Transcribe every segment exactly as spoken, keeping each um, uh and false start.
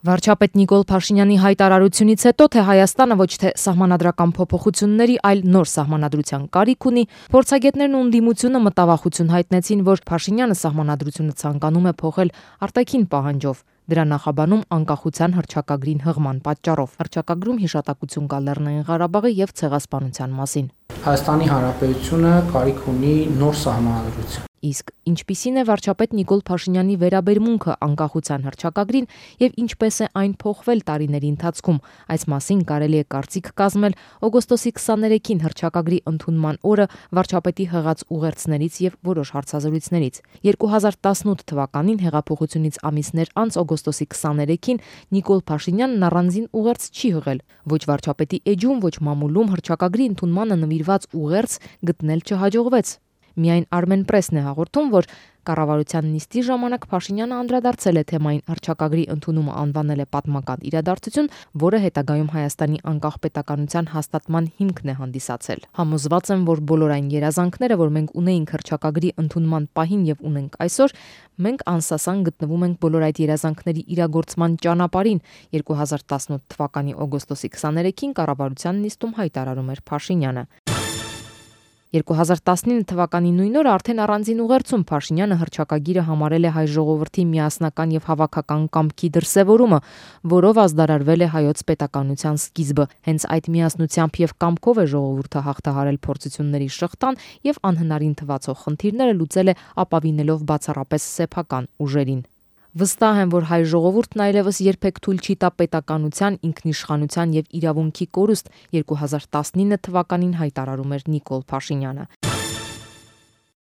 Վարչապետ Նիկոլ Փաշինյանի հայտարարությունից հետո, թե Հայաստանը ոչ թե սահմանադրական փոփոխությունների, այլ նոր սահմանադրության կարիք ունի, փորձագետներն ու ընդդիմությունը մտավախություն հայտնեցին, որ Փաշինյանը սահմանադրությունը ցանկանում է փոխել արտաքին պահանջով, դրա նախաբանում անկախության հռչակագրին հղման պատճառով։ Հռչակագրում հիշատակություն կա Լեռնային Ղարաբաղի եւ ցեղասպանության մասին։ Հայաստանի Հանրապետությունը կարիք ունի նոր սահմանադրություն։ Իսկ ինչպիսին է վարչապետ Նիկոլ Փաշինյանի վերաբերմունքը անկախության հռչակագրին եւ ինչպես է այն փոխվել տարիների ընթացքում, այս մասին կարելի է կարծիք կազմել օգոստոսի քսաներեքին հռչակագրի ընդունման օրը վարչապետի հղած ուղերձներից եւ որոշ հարցազրույցներից։ երկու հազար տասնութ թվականին հեղափոխությունից ամիսներ անց օգոստոսի քսաներեքին Նիկոլ Փաշինյանն առանձին ուղերձ չի հղել։ Ոչ վարչապետի էջում, ոչ մամուլում հռչակագրի ընդունմանը նվիրված ուղերձ գտնել չհաջողվեց։ Միայն Armenpress-ն է հաղորդում, որ կառավարության նիստի ժամանակ Փաշինյանը անդրադարձել է թեմային հռչակագրի ընդունումը անվանել է պատմական իրադարձություն, որը հետագայում Հայաստանի անկախ պետականության հաստատման հիմքն է հանդիսացել։ Համոզված եմ, որ բոլոր այն երազանքները, որ մենք ունեինք հռչակագրի ընդունման պահին եւ ունենք այսօր, մենք անսասան գտնվում ենք բոլոր այդ երազանքների իրագործման ճանապարհին, երկու հազար տասնութ թվականի օգոստոսի քսաներեքին կառավարության նիստում հայտարարում էր Փաշինյանը։ երկու հազար տասնինը թվականի նույն օրը արդեն առանձին ուղերձում Փաշինյանը հռչակագիրը համարել է հայ ժողովրդի միասնական եւ հավաքական կամքի դրսեւորումը, որով ազդարարվել է հայոց պետականության սկիզբը։ Հենց այդ միասնությամբ եւ կամքով է ժողովուրդը հաղթահարել փորձությունների շղթան եւ անհնարին թվացող խնդիրները լուծել է ապավինելով բացառապես սեփական ուժերին։ Վստահ եմ, որ հայ ժողովուրդն այլևս երբեք թույլ չի տա պետականության, ինքնիշխանության եւ իրավունքի կորուստ, երկու հազար տասնինը թվականին հայտարարում էր Նիկոլ Փաշինյանը։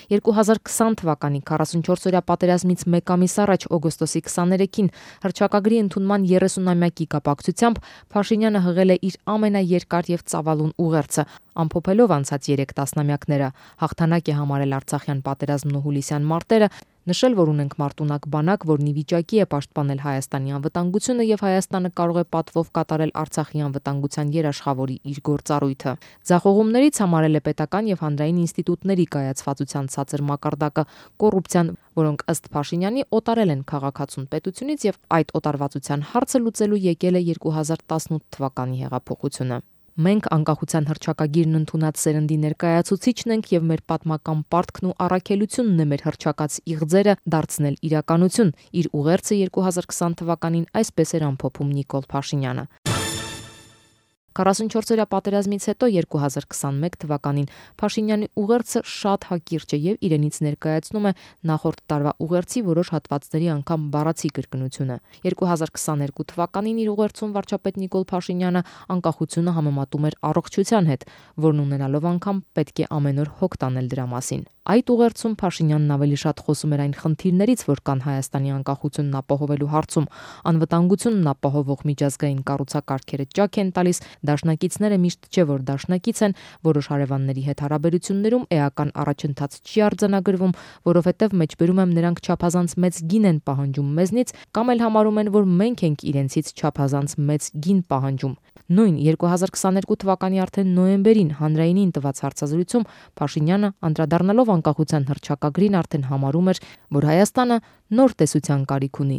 երկու հազար քսան թվականի քառասունչորսօրյա պատերազմից մեկ ամիս առաջ օգոստոսի քսաներեքին հռչակագրի ընդունման երեսունամյակի կապակցությամբ Փաշինյանը հղել է իր ամենաերկար եւ ծավալուն ուղերձը, ամփոփելով անցած երեք տասնամյակները, հաղթանակ է համարել Արցախյան պատերազմն ու հուլիսյան մարտերը, նշել, որ ունենք մարտունակ բանակ, որն ի վիճակի է պաշտպանել Հայաստանի անվտանգությունը եւ Հայաստանը կարող է պատվով կատարել Արցախի անվտանգության երաշխավորի իր գործառույթը։ Ձախողումներից համարել է պետական եւ հանրային ինստիտուտների կայացվածության ցածր մակարդակը, կոռուպցիան, որոնք ըստ Փաշինյանի օտարել են քաղաքացուն պետությունից եւ այդ օտարվածության հարցը լուծելու եկել է երկու հազար տասնութ թվականի հեղափոխությունը։ Մենք անկախության հռչակագիրն ընդունած սերնդի ներկայացուցիչն ենք եւ մեր պատմական պարտքն ու առաքելությունն է մեր հռչակած իղձերը դարձնել իրականություն։ Իր ուղերձը երկու հազար քսան թվականին այսպես էր ամփոփում Նիկոլ Փաշինյանը։ քառասունչորսօրյա պատերազմից հետո երկու հազար քսանմեկ թվականին Փաշինյանի ուղերձը շատ հակիրճ է եւ իրենից ներկայացնում է նախորդ տարվա ուղերձի որոշ հատվածների անգամ բառացի կրկնությունը։ երկու հազար քսաներկու թվականին իր ուղերձում վարչապետ Նիկոլ Փաշինյանը անկախությունը համեմատում էր առողջության հետ, որն ունենալով անգամ պետք է ամեն օր հոգ տանել դրա մասին։ Այդ ուղերձում Փաշինյանն ավելի շատ խոսում էր այն խնդիրներից, որ կան Հայաստանի անկախությունն ապահովելու հարցում, անվտանգությունն ապահովող միջազգային կառուցակարգերը ճաք են տալիս, դաշնակիցները միշտ չէ որ դաշնակից են, որոշ հարևանների հետ հարաբերություններում էական առաջընթաց չի արձանագրվում, որովհետև մեջբերում եմ նրանք չափազանց մեծ գին են պահանջում մեզնից, կամ էլ համարում են, որ մենք ենք իրենցից չափազանց մեծ գին պահանջում։ Նույն երկու հազար քսաներկու թվականի արդեն նոյեմբերին հանրայինին տված հարցազրույցում Փաշինյանը անդրադառնալով անկախության հռչակագրին արդեն համարում էր, որ Հայաստանը նոր տեսության կարիք ունի։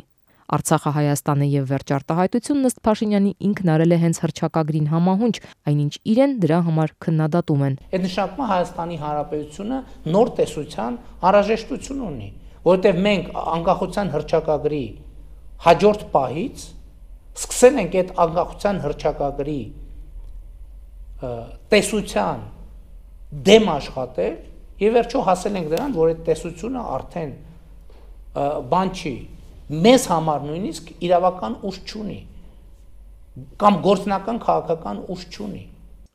Արցախը Հայաստան է եւ վերջ արտահայտությունն ըստ Փաշինյանի ինքն արել է հենց հռչակագրին համահունչ, այնինչ իրեն դրա համար քննադատում են։ Այդ նշանակում Հայաստանի Հանրապետությունը նոր տեսության անհրաժեշտություն ունի, որովհետեւ մենք անկախության հռչակագրի հաջորդ պահից սկսել ենք այդ անկախության հռչակագրի տեսության դեմ աշխատել եւ վերջո հասել ենք դրան, որ այդ տեսությունը արդեն բան չի, մեզ համար նույնիսկ իրավական ուժ չունի կամ գործնական քաղաքական ուժ չունի։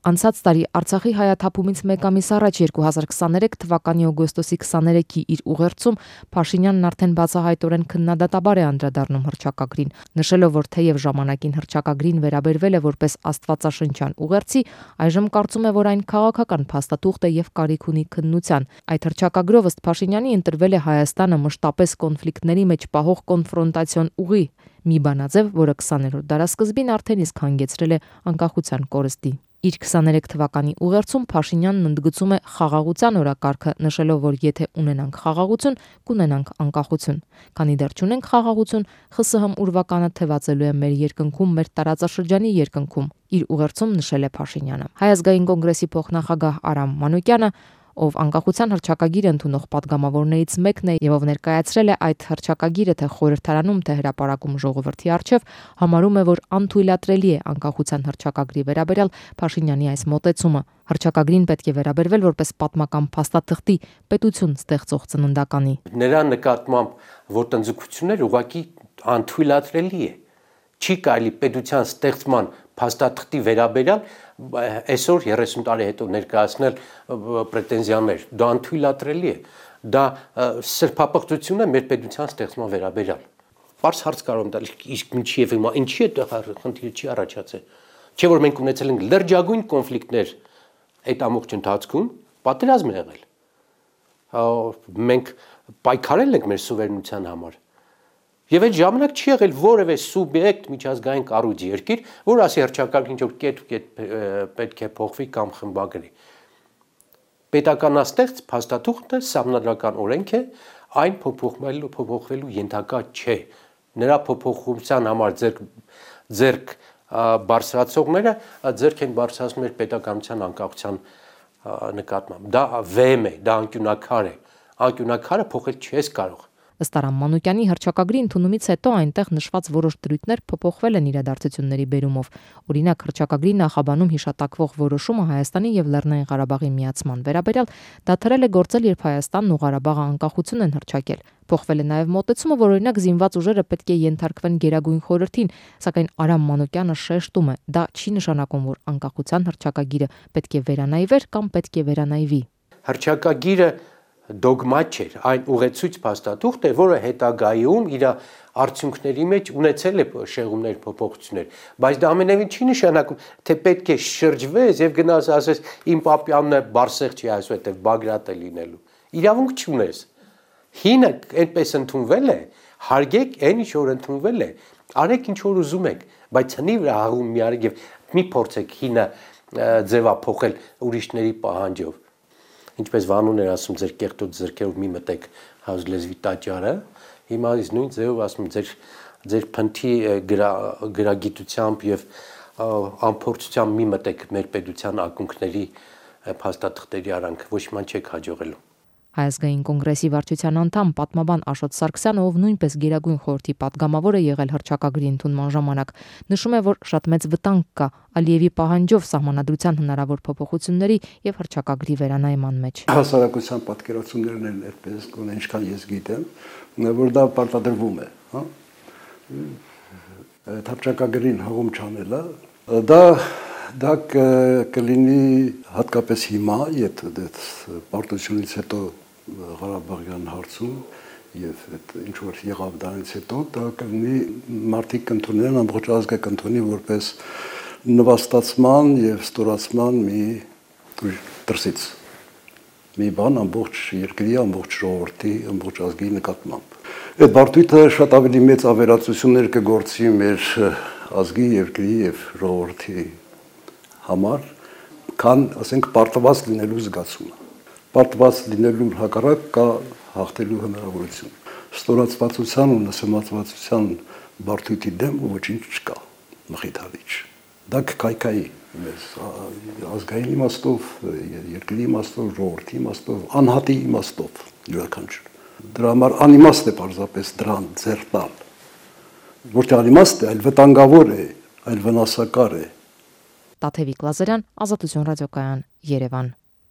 Անցած տարի Արցախի հայաթափումից մեկ ամիս առաջ երկու հազար քսաներեք թվականի օգոստոսի քսաներեքի իր ուղերձում Փաշինյանն արդեն բացահայտորեն քննադատաբար է անդրադառնում հռչակագրին, նշելով, որ թեև ժամանակին հռչակագրին վերաբերվել է որպես աստվածաշնչյան ուղերձի, այժմ կարծում է, որ այն քաղաքական փաստաթուղթ է եւ կարիք ունի քննության։ Այդ հռչակագրով ըստ Փաշինյանի ընտրվել է Հայաստանը մշտապես կոնֆլիկտների մեջ պահող կոնֆրոնտացիոն ուղի, մի բանաձև, որը քսաներորդ դարասկզբին արդեն իսկ հանգեցրել է անկախության կորստի։ Իր քսաներեք թվականի ուղերձում Փաշինյանն ընդգծում է խաղաղության օրակարգը, նշելով, որ եթե ունենանք խաղաղություն, կունենանք անկախություն։ Քանի դեռ չունենք խաղաղություն, ԽՍՀՄ ուրվականը թևածելու է մեր երկնքում, մեր տարածաշրջանի երկնքում, իր ուղերձում նշել է Փաշինյանը։ Հայ ազգային կոնգրեսի փոխնախագահ Արամ Մանուկյանը, ով անկախության հռչակագիր ընդունող պատգամավորներից մեկն է եւ ով ներկայացրել է այդ հռչակագիրը թե խորհրդարանում, թե հրապարակում ժողովրդի առջև, համարում է, որ անթույլատրելի է անկախության հռչակագրի վերաբերյալ Փաշինյանի այս մոտեցումը։ Հռչակագրին պետք է վերաբերվել որպես պատմական փաստաթղթի պետություն ստեղծող ծննդականի։ Նրա նկատմամբ ոտնձգություններ ուղղակի անթույլատրելի է։ Չի կարելի պետության ստեղծման փաստաթղթի վերաբերյալ այսօր երեսուն տարի հետո ներկայացնել պրետենզիաներ, դա անթույլատրելի է, դա սրբապղծություն է մեր պետության ստեղծման վերաբերյալ։ Պարզ հարց կարող եմ տալ, իսկ ինչի եւ հիմա ինչի է խնդիրը չի առաջացել։ Չէ՞ որ մենք ունեցել ենք լրջագույն կոնֆլիկտներ այդ ամբողջ ընթացքում, պատերազմ է եղել։ Մենք պայքարել ենք մեր սուվերենության համար։ Եվ այդ ժամանակ չի եղել որևէ սուբյեկտ միջազգային կառույց երկիր, որ ասի հռչակագրին ինչ-որ կետ ու կետ պետք է փոխվի կամ խմբագրի։ Պետականաստեղծ փաստաթուղթը սահմանադրական օրենք է, այն փոփոխվելու փոփոխվելու ենթակա չէ։ Նրա փոփոխության համար ձեռք ձեռք բարձրացողները ձեռք են բարձրացնում մեր պետականության անկախության նկատմամբ։ Դա վեմ է, դա անկյունակար է։ Անկյունակարը փոխել չես կարող։ Ըստ Արամ Մանուկյանի հռչակագրի ընդունումից հետո այնտեղ նշված որոշ դրույթներ փոփոխվել են իրադարձությունների բերումով։ Օրինակ, հռչակագրի նախաբանում հիշատակվող որոշումը Հայաստանի եւ Լեռնային Ղարաբաղի միացման վերաբերյալ դադարել է գործել, երբ Հայաստանն ու Ղարաբաղը անկախություն են հռչակել։ Փոխվել է նաեւ մոտեցումը, որ օրինակ զինված ուժերը պետք է ենթարկվեն Գերագույն խորհրդին, սակայն Արամ Մանուկյանը շեշտում է, դա չի նշանակում, որ անկախության հռչակագիրը պետք է վերանայվեր կամ պետք է վերանայվի։ Հռչակագիրը դոգմա չէր, այն ուղեցույց փաստաթուղթ է, որը հետագայում իր արդյունքների մեջ ունեցել է շեղումներ, փոփոխություններ, բայց դա ամենևին չի նշանակում, թե պետք է շրջվես եւ գնաս ասես իմ պապյանն է Բարսեղ չի այսուհետեւ Բագրատ է լինելու։ Իրավունք չունես։ Հինը այդպես ընդունվել է, հարգեք այն ինչ որ ընդունվել է, արեք ինչ որ ուզում եք, բայց հնի վրա հաղում մի արեք եւ մի փորձեք հինը ձևափոխել ուրիշների պահանջով։ Ինչպես Վանուն էր ասում, ձեր կեղտոտ ձեռքերով մի մտեք հայոց լեզվի տաճարը, հիմա իս նույն ձևով ասում ձեր ձեր փնթի գրագիտությամբ եւ ամփոփչությամբ մի մտեք մեր պետության ակունքների փաստաթղթերի արանք, ոչ ման չեք հաջողելու։ Հայ ազգային կոնգրեսի վարչության անդամ պատմաբան Աշոտ Սարգսյանը, ով նույնպես Գերագույն խորհրդի պատգամավոր է եղել հռչակագրի ընդունման ժամանակ, նշում է, որ շատ մեծ վտանգ կա Ալիևի պահանջով սահմանադրության հնարավոր փոփոխությունների եւ հռչակագրի վերանայման մեջ։ Հասարակության պատկերացումներն են այդպես, գոնե ինչքան ես գիտեմ, որ դա պարտադրվում է, հա։ Այդ հռչակագրին հողում չանելը, դա դա կլինի հատկապես հիմա, եթե պարտությունից հետո Ղարաբաղյան հարցում եւ այդ ինչ որ եղավ դրանից հետո դա կլինի մարդիկ կընդունեն ամբողջ ազգը կընդունի որպես նվաստացման եւ ստորացման մի դրսից մի բան ամբողջ երկրի, ամբողջ ժողովրդի, ամբողջ ազգի նկատմամբ։ Այդ բարդույթը շատ ավելի մեծ ավերածություններ կգործի մեր ազգի, երկրի եւ ժողովրդի համար, քան, ասենք, պարտված լինելու զգացումը։ Պարտված լինելու հակառակ կա հաղթելու հնարավորություն։ Ստորացվածության ու նսեմացվածության բարդույթի դեմ ոչինչ չկա, մխիթարիչ։ Դա կկայքայի մեզ ազգային իմաստով, երկրի իմաստով, ժողովրդի իմաստով, անհատի իմաստով յուրաքանչյուր։ Դրա համար անիմաստ է պարզապես դրան ձեռ տալ։ Ոչ թե անիմաստ է, այլ վտանգավոր է, այլ վնասակար է։ Տաթևիկ Լազարյան, Ազատություն ռադիոկայան, Երևան։